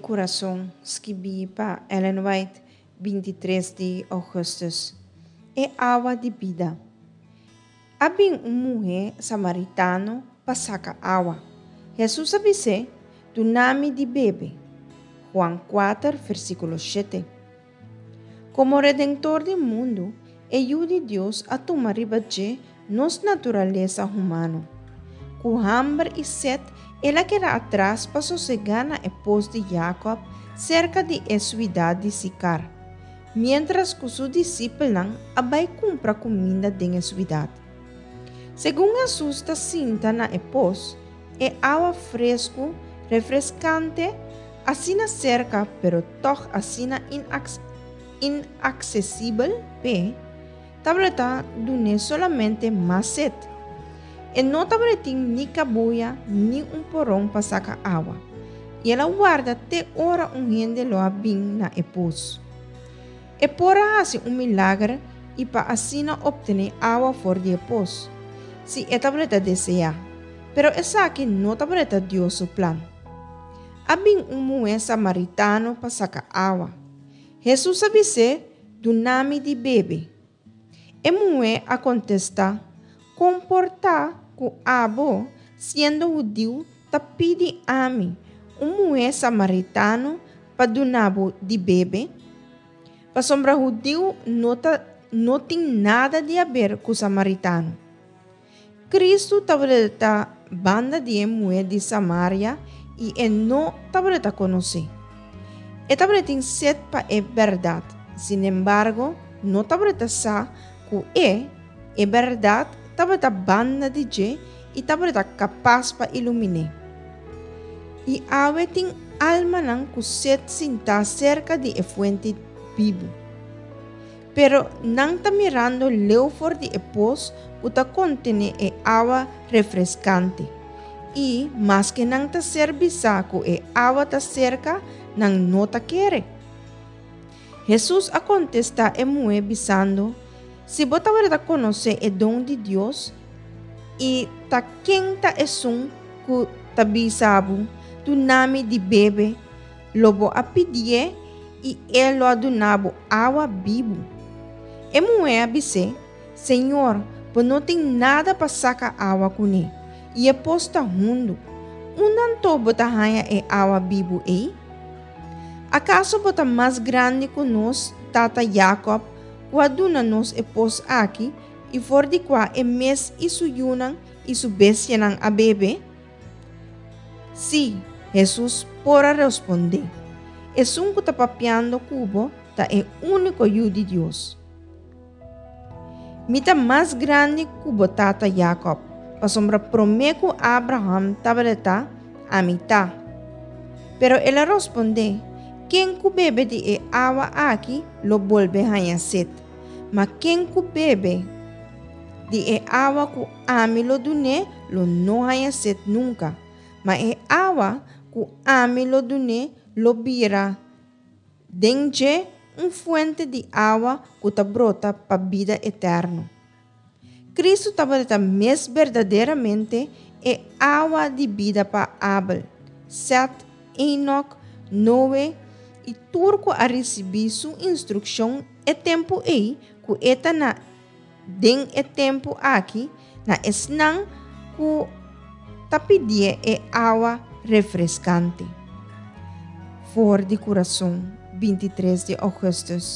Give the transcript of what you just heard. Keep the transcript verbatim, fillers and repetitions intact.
Kurason, skibí pa Ellen White, binti tres di ougùstùs. E awa di bida. A bin un muhé samaritano pa saka awa. Hesus a bis'é, Duna mi di bebe. Juan kuater, versíkulo shete. Komo Redentor di mundu, e Yu di Dios a tuma riba dje nos naturalesa humano. Ku hamber i set, el a keda atras pa sosegá na e pos di Jakòb serka di e suidat di Sikar, miéntras ku su disipelnan a bai kumpra kuminda den e suidat. Segun Hesus ta sinta na e pos, e awa fresku, refreskante, asina serka pero tòg asina inaksesibel p'e, tabata dun'é solamente mas set. E no tabatin ni kabuya ni un poron pa saka awa, i el a warda te ora un hende lo a bin na e pos. E por a hasi un milager i pa asina optené awa for di e pos, si e tabata deseá, pero esaki no tabata Dios su plan. A bin un muhé samaritano pa saka awa. Hesus a bis'é, Duna mi di bebe. E muhé a kontestá, Kon por ta ku abo, siendo hudiu, ta pidi ami, un muhé samaritano, pa duna bo di bebe? Pasobra hudiu no ta no tin nada di haber ku samaritano. Kristu tabata banda di e muhé di Samaria i e no tabata konosé. E tabatin set pa e bèrdat, sinembargo, no tabata sa ku e, e bèrdat, tabata banda di dje i tabata kapas pa ilumin'é. I awe tin almanan ku set sintá serka di e fuente bibu. Pero nan ta mirando leu for di e pos ku ta kontené e awa refreskante. I maske nan ta ser bisá ku e awa ta serka, nan no ta kere. Hesus a kontestá e muhé bisando, Si bo tabata konosé e don di Dios i ta ken ta esun ku ta bisa bo, Duna mi di bebe, lo bo a pidié i e lo a duna bo awa bibu. E muhé a bis'é, Señor, bo no tin nada pa saka awa kuné, i e pos ta hundu. Unda anto bo ta haña e awa bibu ei? Akaso bo ta mas grandi ku nos tata Jakòb, ku a duna nos e pos aki i for di kua e mes i su yunan i su bestianan a bebe? Sí, Hesus por a respondé, Esun ku ta papiando ku bo ta e úniko Yu di Dios. Mi ta mas grandi ku bo tata Jakòb, pasobra promé ku Abraham tabata, ami ta. Pero el a rospondé, Ken ku bebe di e awa aki lo bolbe haña set, ma ken ku bebe di e awa ku ami lo dun'é lo no haña set nunka, ma e awa ku ami lo dun'é lo bira den dje un fuente di awa ku ta brota pa bida eterno. Kristu tabata mes berdaderamente e awa di bida pa Abel, Sèt, Enok, Noe i tur ku a risibí su instrukshon e tempu ei ku e ta na den e tempu aki na esnan ku ta pidié e awa refreskante. For di Kurason, bintitres di ougùstùs.